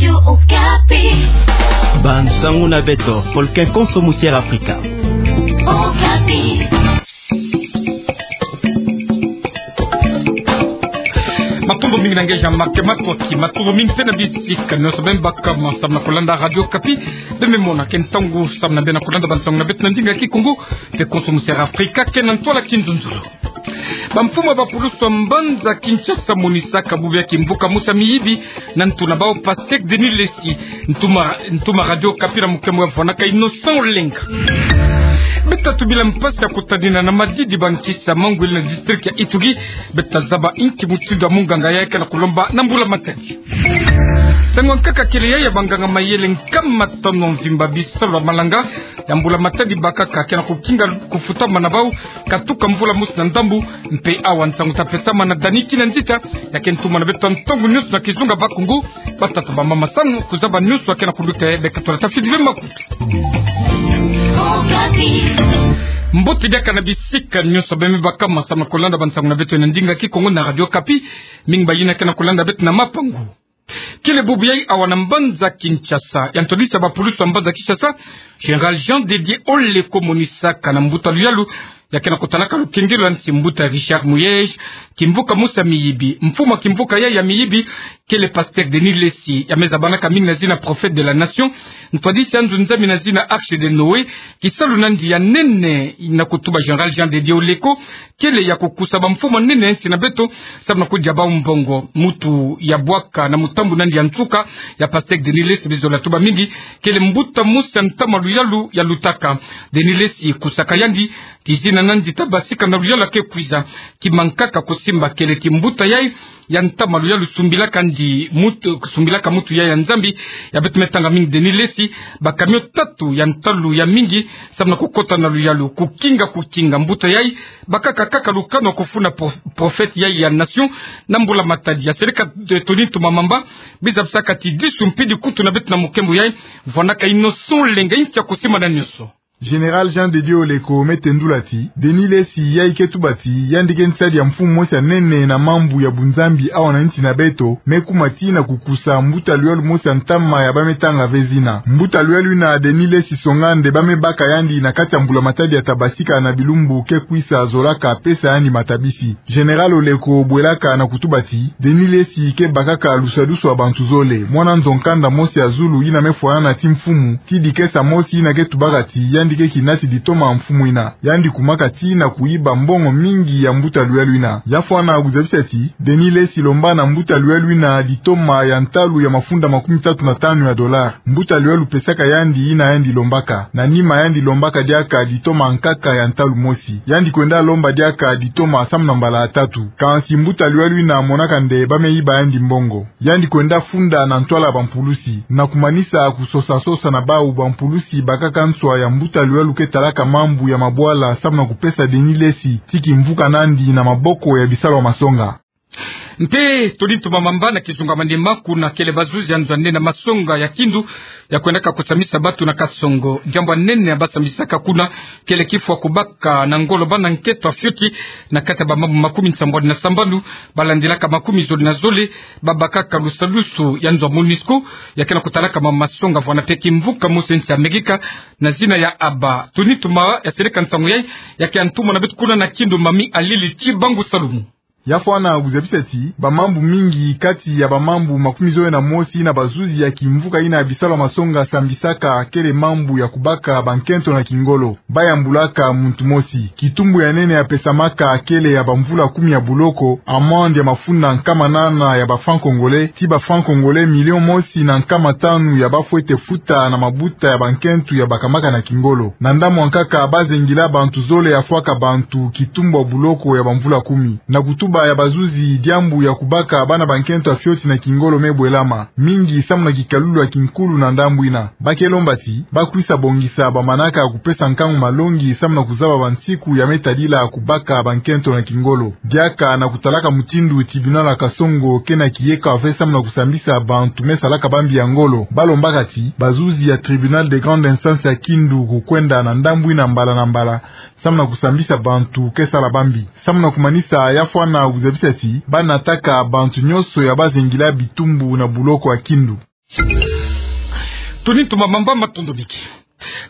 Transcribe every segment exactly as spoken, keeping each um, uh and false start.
Radio Okapi. Bansangu na beto, folke konso musiere Afrika. Okapi. Matondo mingi na nge Jean-Marc Makoki, matondo mingi mpe na bisika nyonso beno baka ma samu na kolanda Radio Okapi. Beno me mona ke ntangu samu na beno kolanda bansangu na beto na ndinga Kikongo, mpe konso musiere Afrika, ke na ntwala kinzonzolo. Bamfumu ya bapulusu ya mbanza Kinshasa monisaka bubu ya kimvuka mosi ya miyibi na ntu na bau Pasteur Denis Lessie. Ntuma, ntuma Radio Okapi na mukemo ya vwanaka Innocent Olenga. Beto tubila mpasi ya kutadina na madidi bankisi ya mangwele na district ya Ituri. Beto zaba inki mutindu ya munganga yayi ke na kulomba na mbula matadi. Nsangu ya nkaka kele yayi ya banganga mayele nkama tanu ya mvimba bisalu ya malanga ya mbula matadi bakaka ke na kukinga kufutama na bau katuka mvula mosi na ndambu. Mpe awa nsangu ta pesama na Dani Kinanzita, ya ke ntuma na beto ntangu nyonso na kizunga Bakongo. Batata, bamama, samu kuzaba nyonso ya ke na kunduta, beka tula tafidi ve makutu. Mbote diaka na bisika nyonso beno me baka ma samu na kolanda bansangu na beto na ndinga Kikongo na Radio Okapi. Mingi bayina ke na kolanda beto na mapangu. Kele bubu yayi awa na mbanza Kinshasa, ya ntwadisi ya bapulusu ya mbanza Kinshasa, Général Jean de Dieu Oleko monisaka na mbuta luyalu ya ke na kutalaka lukengelo ya nsi, mbuta Richard Muyej, kimvuka mosi ya miyibi. Mfumu ya kimvuka yayi ya miyibi kele Pasteur Denis Lessie, ya me zabanaka mingi na zina Prophète de la Nation, ntwadisi ya nzo Nzambi na zina Arche de Noé. Kisalu na yandi ya nene na kutuba Général Jean de Dieu Oleko kele ya kukusa bamfumu ya nene ya nsi na beto samu na kudia bau mbongo. Mutu ya bwaka na mutambu na yandi ya nsuka ya Pasteur Denis Lessie, bizola tuba mingi, kele mbuta mosi ya ntama luyalu ya lutaka. Denis Lessie kusaka yandi, kizina na yandi ta basika na luyalu ya ke kwiza. Kima nkaka kusimba kele ti mbuta yayi ya ntama luyalu sumbilaka yandi mutu, sumbilaka mutu yayi ya Nzambi. Ya beto me tanga mingi Denis Lessie, ba camion tatu ya ntalu ya mingi samu na kukota na luyalu, kukinga, kukinga mbuta yayi. Bakaka kaka lukanu ya kufuna pro-, prophète yayi ya nation na mbula matadi. Ya seleka, eh, Tony Ntuma Mamba, bizabisaka ti disu mpidi kutu na beto na mukembo yayi, vwanaka Innocent Olenga, inki ya kusimba na nyonso. Général Jean de Dieu Oleko me tendula ti Denis Lessie yayi ke tuba ti yandi ke nsadi ya mfumu mosi ya nene na mambu ya bunzambi awa na nsi na beto, me kuma ti na kukusa mbuta luyalu mosi ya ntama ya ba me tanga ve zina. Mbuta luyalu yina Denis Lessie Songande, ba me baka yandi na kati ya mbula matadi ya ta basika na bilumbu ke kwisa, zolaka pesa yandi matabisi. Général Oleko bwelaka na kutuba ti Denis Lessie ke bakaka lusadusu ya bantu zole. Mwana nzo nkanda mosi ya zulu yina me fwanana ti mfumu, ti dikesa mosi yina ke tubaka ti yandi ke kinati ditoma ya mfumu yina. Yandi kumaka ti na kuyiba mbongo mingi ya mbuta luyalu yina. Ya fwana kuzabisa ti Denis Lessie lomba na mbuta luyalu yina ditoma ya ntalu ya mafunda makumi tatu na tanu ya dollar. Mbuta luyalu pesaka yandi yina yandi lombaka. Na nima yandi lombaka diaka ditoma nkaka ya ntalu mosi. Yandi kwenda lomba diaka ditoma samu na mbala ya tatu. Kansi mbuta luyalu yina monaka nde ba me yiba yandi mbongo. Yandi kwenda funda na ntwala ya bampulusi. Na kumanisa kusosa-sosa na bau, bampulusi bakaka nswa ya mbuta luyalu ke talaka mambu ya mabwala samu na kupesa Denis Lessie ti kimvuka na yandi na maboko ya bisalu ya masonga. Mpe Tony Ntuma Mamba na kizunga Maniema, kuna kele bazuzi ya nzo ya nene ya masonga ya Kindu ya kwendaka kusambisa batu na Kasongo. Diambu ya nene ya ba sambisaka kuna kele kifwa kubaka na ngolo bana nkento ya fioti na kati ya bamambu makumi nsambwadi na sambanu, ba landilaka makumi zole na zole, ba bakaka lusadusu ya nzo ya MONUSCO ya ke na kutalaka ma masonga vwana mpe kimvuka mosi ya nsi ya Amerika na zina ya Abba. Tony Ntuma ya seleka nsangu yayi, ya ke ya ntuma na beto kuna na Kindu, Mami Alili Tibangu Salumu. Ya fwana kuzabisa ti bamambu mingi kati ya bamambu makumi zole na mosi yina bazuzi ya kimvuka yina ya bisalu ya masonga sambisaka kele mambu ya kubaka bankento na kingolo. Ba yambulaka muntu mosi. Kitumbu ya nene ya pesamaka kele ya bamvula kumi ya buloko, amende ya mafunda nkama nana ya ba francs congolais, ti ba francs congolais million mosi na nkama tanu ya ba fwete futa na mabuta ya bankento ya bakamaka na kingolo. Na ndambu ya nkaka, ba zengila bantu zole ya fwaka bantu kitumbu ya buloko ya bamvula kumi. Na kutuba ya bazuzi, diambu ya kubaka bana bankento ya fioti na kingolo me bwelama mingi samu na kikalulu ya kinkulu na ndambu yina. Ba ke lomba ti ba kwisa bongisa bamanaka ya kupesa nkangu malongi samu na kuzaba bansiku ya me tadila kubaka bankento na kingolo. Diaka na kutalaka mutindu tribunal ya Kasongo ke na kiyeka ve samu na kusambisa bantu me salaka bambi ya ngolo, ba lombaka ti bazuzi ya tribunal de grande instance ya Kindu kukwenda na ndambu yina mbala na mbala samu na kusambisa bantu ke sala bambi. Samu na kumanisa, ya fwana kuzabisa ti ba nataka bantu nyonso ya ba zengila bitumbu na buloko ya Kindu. Toni Ntuma Mamba, matondo mingi.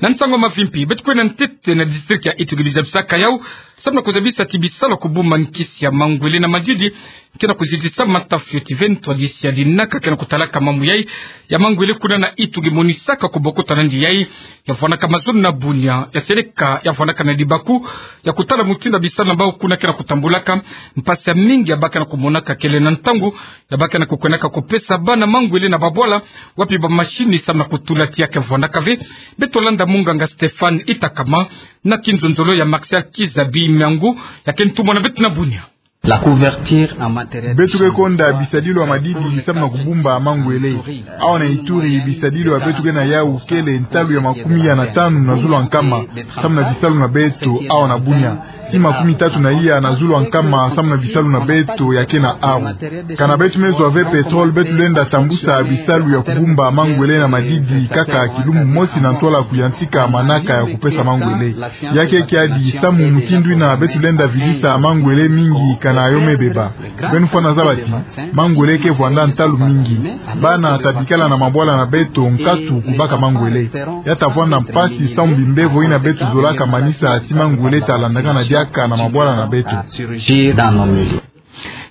Na nsangu mavimpi, beto kwenda ntete na district ya Ituri, bizabisaka yau samu na kuzabisa ti bisalu ya kubumba nkisi ya mangwele na madidi kena kuzidisa mata fioti ve ntwadisi ya dinaka kena kutalaka mambu yai ya mangwele kuna na Ituri, monisaka kubokota nandi yai ya vwanaka mazulu na bunia, ya seleka, ya vwanaka na dibaku ya kutala mutindu ya bisalu na bau kuna kena kutambulaka. Mpasi ya mingi ya bakana kumonaka kele na ntangu ya bakana kukwendaka kupesa bana mangwele na babwala wapi ba machine samu na kutula ti ya ke vwanaka ve. Beto landa munganga Stéphane Itakama na kinzonzolo ya Martial Kizabi Miangu, ya ke ntumwa na beto na bunia. La couverture en matériel. Beto ke konda bisadilu ya madidi samu na kubumba mangwele. Awa na Ituri, bisadilu ya beto ke na yau kele ntalu ya makumi ya na tanu na zulu ya nkama samu na bisalu na beto awa na bunia. Ti makumi tatu na iya na zulu ya nkama samu na bisalu na beto ya ke na aru. Kana beto me zwa ve pétrole, beto lenda tambusa bisalu ya kubumba mangwele na madidi kaka kilumbu mosi na ntwala kuyantika manaka ya kupesa mangwele. Ya ke kiadi samu mutindu ina beto lenda vidisa mangwele mingi kana yo me beba. Beno fwana zaba ti mangwele ke vwanda ntalu mingi. Bana ta bikala na mabwala na beto nkatu kubaka mangwele. Ya ta vwanda mpasi samu bimbevo ina beto zolaka manisa ti mangwele ta landakana diaka na mabwala na beto.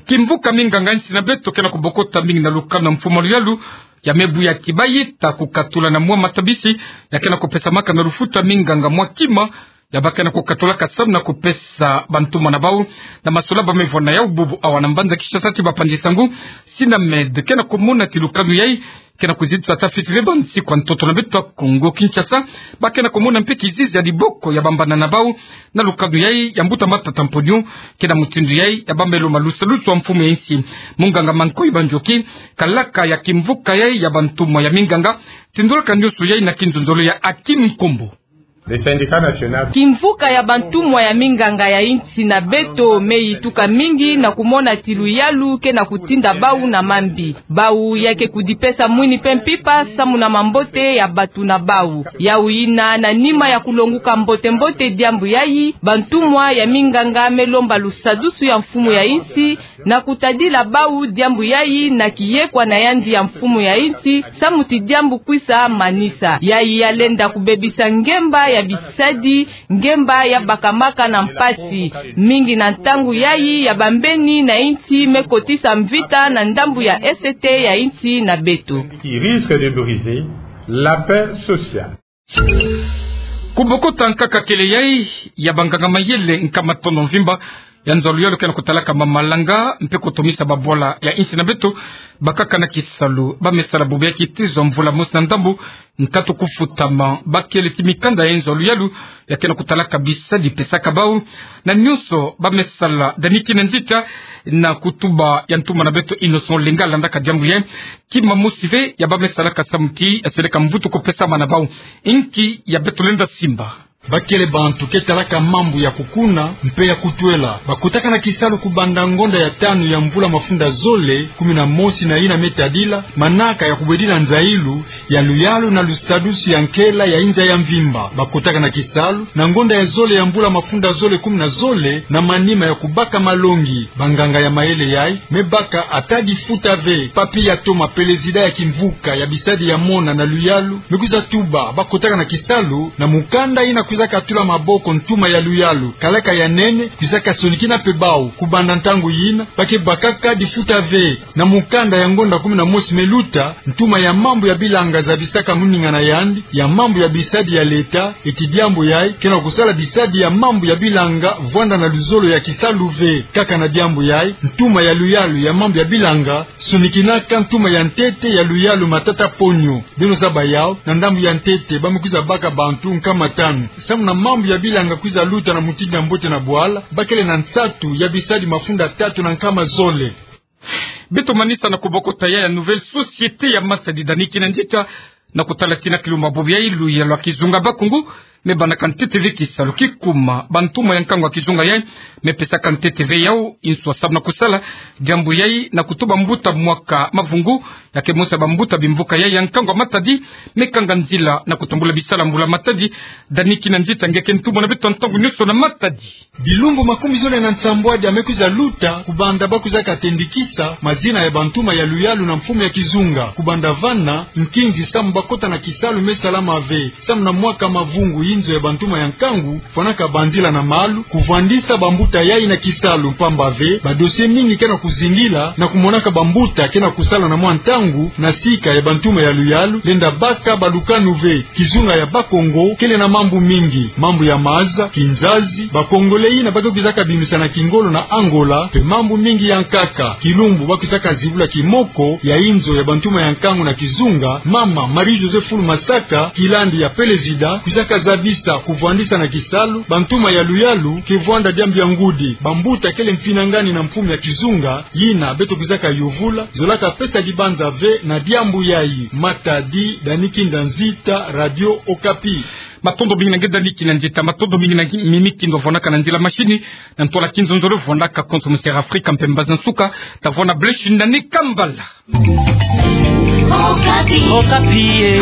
Kimvuka minganga ya insi na beto kena kubokota mingi na lukanu ya mfumu ya luyalu ya me buya ti bayi ta kukatula na mwa matabisi ya kena kupesamaka na lufuta minganga mwa kima ya bakana kukatulaka samu na kupesa bantumwa na bau na masola ba me vwanda yau bubu awa na mbanza Kinshasa ti bapanzi nsangu Sinamed kena kumona ti lukanu yai kena kuzitisa ata fioti ve bansi kwa ntoto na beto Kongo Kinshasa. Bakana kumona mpe kizizi ya diboko ya bambana na bau na lukanu yai ya mbuta Matata Mponyo, kena mutindu yai ya bambeloma lusadusu ya mfumu ya insi. Munganga Mankoy Banjoki, kalaka ya kimvuka yai ya bantumwa ya minganga, tindolaka nyoso yai na kinzonzolo ya Akim Nkombo. Le syndicat national. Kimvuka ya bantumwa ya minganga ya insi na beto me yituka mingi na kumona ti luyalu kena kutinda bau na mambi. Bau ya ke kudipesa mwini mpe mpimpa samu na mambote ya bato na bau. Yau ina, na nima ya kulonguka mbote-mbote diambu yai, bantumwa ya minganga me lomba lusadusu ya mfumu ya insi na kutadila bau diambu yai na kiyekwa na yandi ya mfumu ya insi, samu ti diambu kwisa manisa. Yai ya lenda kubebisa ngemba ya bisadi, ngemba ya bakamaka na mpasi, mingi na ntangu yai ya bambeni na insi me kotisa mvita na ndambu ya S T ya insi na beto. Qui risque de briser la paix sociale. Kubokota nkaka kele yai ya banganga mayele nkama tono mvimba ya nzo ya luyalu kena kutalaka mamalanga mpe kutomisa babwala ya insi na beto bakaka na kisalu, ba me sala bubu ya kitizo mvula mosi na ndambu nkatu kufutama. Bakele ti mikanda ya nzo ya luyalu ya kena kutalaka bisadi pesaka bau na nyoso ba me sala dani kina nzita na kutuba ya ntumwa na beto Innocent Olenga landaka diambu yai. Kima mosi ve ya ba me salaka samu ti ya seleka mvutu kupesama na bau. Inki ya beto lenda simba? Bakele bantu ke talaka mambu ya kukuna mpe ya kutwela. Bakotaka na kisalu kubanda ngonda ya tanu ya mvula mafunda zole kumi na mosi na ina me tadila, manaka ya kubwedila nzailu ya luyalu na lusadusu ya nkela ya inza ya mvimba. Bakotaka na kisalu na ngonda ya zole ya mvula mafunda zole kumi na zole na manima ya kubaka malongi. Banganga ya mayele yai me baka ata difuta ve. Papy Yatoma, pelezida ya kimvuka ya bisadi ya mona na luyalu, me kwiza tuba bakotaka na kisalu na mukanda ina kwiza katula maboko ntuma ya luyalu, kalaka ya nene kwiza kasonikina mpe bau. Kubanda ntangu yina ba ke bakaka difuta ve. Na mukanda ya ngonda kumi na mosi me luta, ntuma ya mambu ya bilanga zabisaka muninga na yandi ya mambu ya bisadi ya leta, eti diambu yai kena kusala bisadi ya mambu ya bilanga vwanda na luzolo ya kisalu ve. Kaka na diambu yai, ntuma ya luyalu ya mambu ya bilanga sonikinaka ntuma ya ntete ya luyalu Matata Mponyo. Beno zaba yau, na ndambu ya ntete ba me kwiza baka bantu nkama tanu samu na mambu ya bilanga kwiza luta na mutindu ya mbote na bwala. Bakele na nsatu ya bisadi mafunda tatu na nkama zole. Beto manisa na kubokota ya, ya Nouvelle Société ya Matadi dani kina nzita na kutala tina kilumbu bubu yai luyalu ya kizunga Bakongo Me banaka ntete ve kisalu kikuma bantuma ya nkangu ya kizunga yai, me pesaka ntete ve yau inswa samu na kusala diambu yai na kutuba mbuta mwaka mavungu, ya ke mosi ya bambuta bimvuka yai ya nkangu ya Matadi, me kanga nzila na kutambula bisalu ya mbula Matadi. Dani Kinanzita ngeke ntumwa na beto ntangu nyonso na Matadi. Bilumbu makumi zole na nsambwadi ya me kwiza luta kubanda ba kwizaka tendikisa mazina ya bantuma ya luyalu na mfumu ya kizunga. Kubanda vana, nkinzi samu ba kota na kisalu me salama ve. Samu na mwaka mavungu, inzo ya bantuma ya nkangu fwanaka banzila na malu, kuvwandisa bambuta yai na kisalu, mpamba ve badosie mingi ke na kuzingila, na kumonaka bambuta ke na kusala na mwa ntangu na sika ya bantuma ya luyalu, lenda baka balukanu ve. Kizunga ya Bakongo kele na mambu mingi, mambu ya maza, kinzazi, Bakongole yina ba ke kwizaka bimisa na kingolo na Angola, mpe mambu mingi ya nkaka. Kilumbu ba kwizaka zibula kimoko ya inzo ya bantuma ya nkangu na kizunga, mama Marie-Josée Fulu Masaka, kilandi ya pelezida, kwizaka zabisa kuvwandisa na kisalu bantuma ya luyalu, ke vwanda diambu ya ngudi. Bambuta kele mfinangani na mfumu ya kizunga, yina beto kwizaka yuvula, zolaka pesa dibanza ve na diambu yai. Matadi, Dani Kinanzita, Radio Okapi. Matondo mingi na nge Dani Kinanzita, matondo mingi na nge Mimi Kindo vwanaka na nzila mashini, na ntwala kinzonzolo vwanaka konso mu Sierra Afrika, mpe mbazi nsuka, ta vwana Blaise Shindani Kambala. Okapi. Okapi, eh.